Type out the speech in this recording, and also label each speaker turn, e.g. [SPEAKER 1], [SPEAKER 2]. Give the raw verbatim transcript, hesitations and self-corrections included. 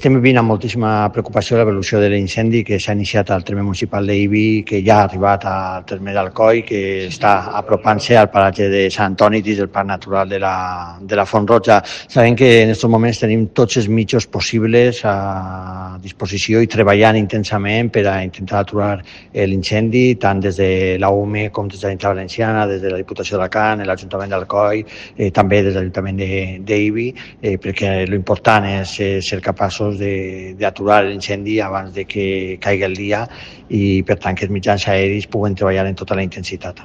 [SPEAKER 1] Estem vivint amb moltíssima preocupació l'evolució de l'incendi que s'ha iniciat al terme municipal d'Ibi, que ja ha arribat al terme d'Alcoi, que està apropant-se al paratge de Sant Antoni dins del Parc Natural de la, de la Font Roja. Sabem que en aquests moments tenim tots els mitjans possibles a disposició i treballant intensament per a intentar aturar l'incendi, tant des de l'A U M E com des de l'Ajuntament Valenciana, des de la Diputació d'Alacant, l'Ajuntament d'Alcoi, eh, també des de l'Ajuntament d'Ibi, eh, perquè l'important és eh, ser capaços d'aturar l'incendi abans de que caigui el dia i, per tant, que els mitjans aèris puguen treballar en tota la intensitat.